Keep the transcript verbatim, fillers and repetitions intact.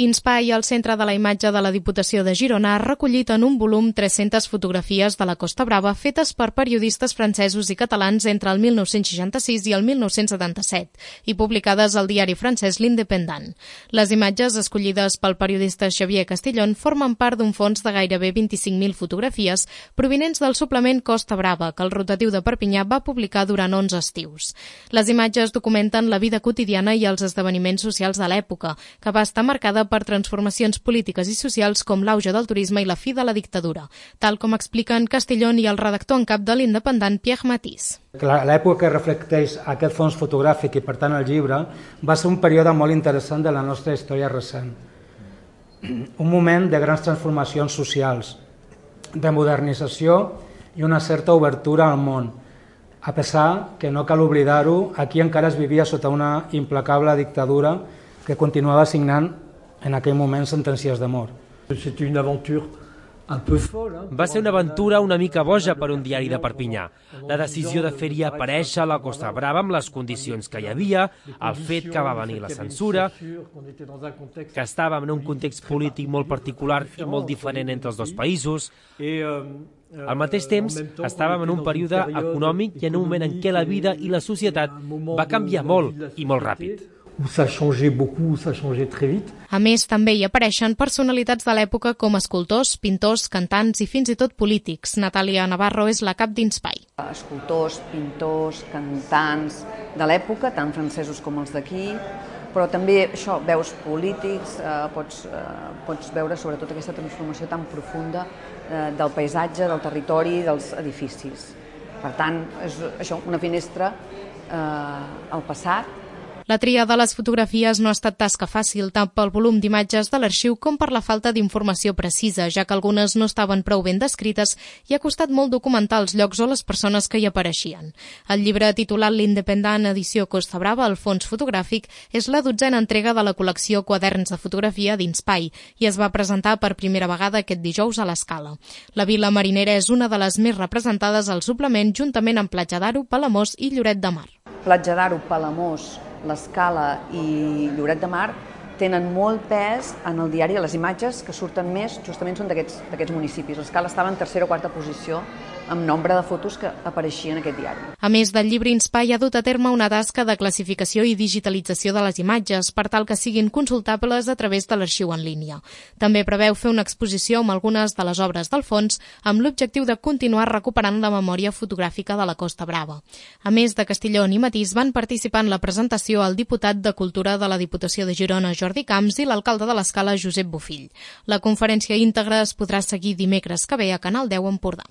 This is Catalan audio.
Inspai, el centre de la imatge de la Diputació de Girona, ha recollit en un volum tres-centes fotografies de la Costa Brava fetes per periodistes francesos i catalans entre el mil nou-cents seixanta-sis i el mil nou-cents setanta-set i publicades al diari francès L'Indépendant. Les imatges escollides pel periodista Xavier Castillon formen part d'un fons de gairebé vint-i-cinc mil fotografies provinents del suplement Costa Brava que el rotatiu de Perpinyà va publicar durant onze estius. Les imatges documenten la vida quotidiana i els esdeveniments socials de l'època, que va estar marcada per transformacions polítiques i socials com l'auge del turisme i la fi de la dictadura, tal com expliquen Castillon i el redactor en cap de l'Independant, Pierre Matisse. L'època que reflecteix aquest fons fotogràfic i, per tant, el llibre, va ser un període molt interessant de la nostra història recent. Un moment de grans transformacions socials, de modernització i una certa obertura al món. A pesar que, no cal oblidar-ho, aquí encara es vivia sota una implacable dictadura que continuava signant en aquell moment sentències de mort. Va ser una aventura una mica boja per un diari de Perpinyà. La decisió de fer-hi aparèixer la Costa Brava amb les condicions que hi havia, el fet que va venir la censura, que estàvem en un context polític molt particular i molt diferent entre els dos països. Al mateix temps, estàvem en un període econòmic i en un moment en què la vida i la societat va canviar molt i molt ràpid. A més, també hi apareixen personalitats de l'època com escultors, pintors, cantants i fins i tot polítics. Natàlia Navarro és la cap d'Inspai. Escultors, pintors, cantants de l'època, tant francesos com els d'aquí, però també això, veus polítics, eh, pots, eh, pots veure sobretot aquesta transformació tan profunda eh, del paisatge, del territori, dels edificis. Per tant, és això, una finestra eh, al passat. La tria de les fotografies no ha estat tasca fàcil tant pel volum d'imatges de l'arxiu com per la falta d'informació precisa, ja que algunes no estaven prou ben descrites i ha costat molt documentar els llocs o les persones que hi apareixien. El llibre titulat L'Independant edició Costa Brava, el fons fotogràfic, és la dotzena entrega de la col·lecció Quaderns de fotografia d'Inspai i es va presentar per primera vegada aquest dijous a l'Escala. La vila marinera és una de les més representades al suplement juntament amb Platja d'Aro, Palamós i Lloret de Mar. Platja d'Aro, Palamós, l'Escala i Lloret de Mar tenen molt pes en el diari. Les imatges que surten més justament són d'aquests municipis. L'Escala estava en tercera o quarta posició amb nombre de fotos que apareixien en aquest diari. A més del llibre, Inspai ha dut a terme una tasca de classificació i digitalització de les imatges per tal que siguin consultables a través de l'arxiu en línia. També preveu fer una exposició amb algunes de les obres del fons amb l'objectiu de continuar recuperant la memòria fotogràfica de la Costa Brava. A més de Castillon i Matisse van participar en la presentació el diputat de Cultura de la Diputació de Girona, Jordi Camps, i l'alcalde de l'Escala, Josep Bofill. La conferència íntegra es podrà seguir dimecres que ve a Canal deu Empordà.